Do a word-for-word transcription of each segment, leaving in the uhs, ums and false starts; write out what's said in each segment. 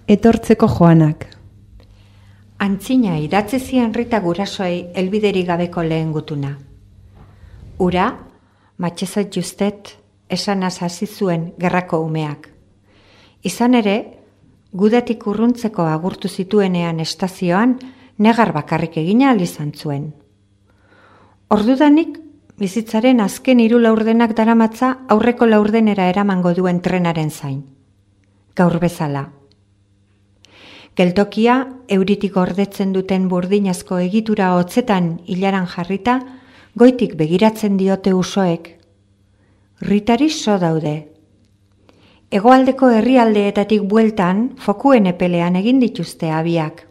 Etortzeko joanak. Antzina idatzi zien Rita gurasoei helbiderik gabeko lehen gutuna. Ura, matxezat justet, esanaz hasi zuen gerrako umeak. Izan ere, gudatik urruntzeko agurtu zituenean estazioan, negar bakarrik egina ahal izan zuen. Ordudanik, bizitzaren azken hiru laurdenak daramatza aurreko laurdenera eramango duen trenaren zain. Gaur bezala. Geltokia, euritik gordetzen duten burdinazko egitura hotzetan hilaran jarrita, goitik begiratzen diote usoek. Ritari so daude. Hegoaldeko herrialdeetatik bueltan, fokuen epelean egin dituzte abiak.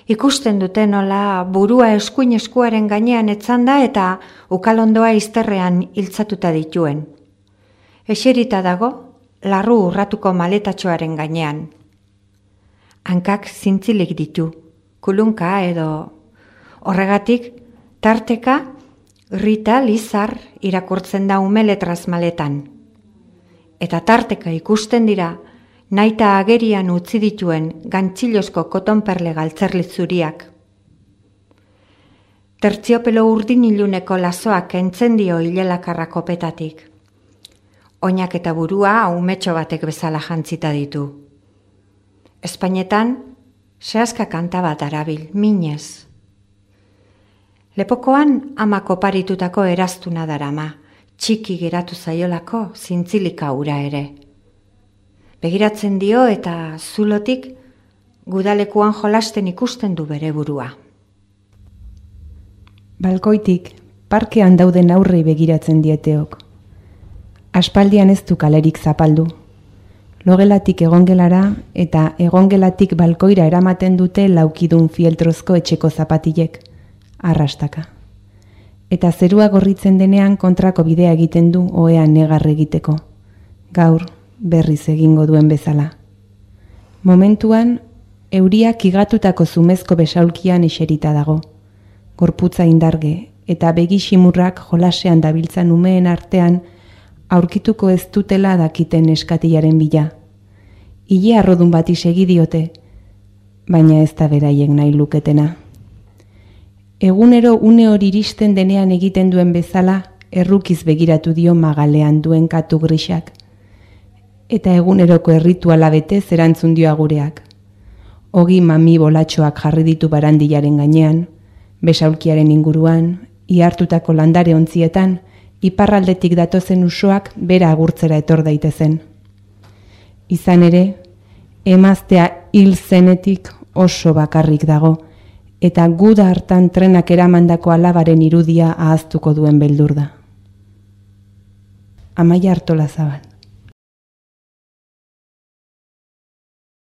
Ikusten duten nola burua eskuin eskuaren gainean etzanda eta ukalondoa izterrean hiltzatuta dituen. Eserita dago, larru urratuko maletatxoaren gainean. Hankak zintzilik ditu, kulunka edo horregatik, tarteka, Rita Lizar irakurtzen da umeletraz maletan. Eta tarteka ikusten dira, naita agerian utzi dituen gantzilozko kotonperle galtzerlitzuriak. Tertziopelo urdin iluneko lazoak entzen dio hilelakarra kopetatik. Oinak eta burua umetxo batek bezala jantzita ditu. Espainetan, sehaska kanta bat arabil, minez. Lepokoan ama koparitutako eraztuna darama, txiki geratu zaiolako zintzilika ura ere. Begiratzen dio eta zulotik gudalekuan jolasten ikusten du bere burua. Balkoitik, parkean dauden aurrei begiratzen dieteok. Aspaldian ez du kalerik zapaldu. Logelatik egongelara eta egongelatik balkoira eramaten dute laukidun fieltrozko etxeko zapatilek, arrastaka. Eta zerua gorritzen denean kontrako bidea egiten du ohean negar egiteko. Gaur berriz egingo duen bezala. Momentuan, euriak igatutako zumezko besaulkian eserita dago. Gorputza indarge eta begisimurrak jolasean dabiltzan umeen artean aurkituko ez dutela dakiten eskatilaren bila. Ile arrodun bati segi diote, baina ez da beraiek nahi luketena. Egunero une hori iristen denean egiten duen bezala, errukiz begiratu dio magalean duen katu grisak. Eta eguneroko errituala betez erantzun dio agureak. Ogi mami bolatxoak jarri ditu barandilaren gainean, besaulkiaren inguruan, ihartutako landare ontzietan, iparraldetik datozen usoak bera agurtzera etor daitezen. Izan ere, emaztea hil zenetik oso bakarrik dago, eta guda hartan trenak eramandako alabaren irudia ahaztuko duen beldur da. Amaia Artolazabal.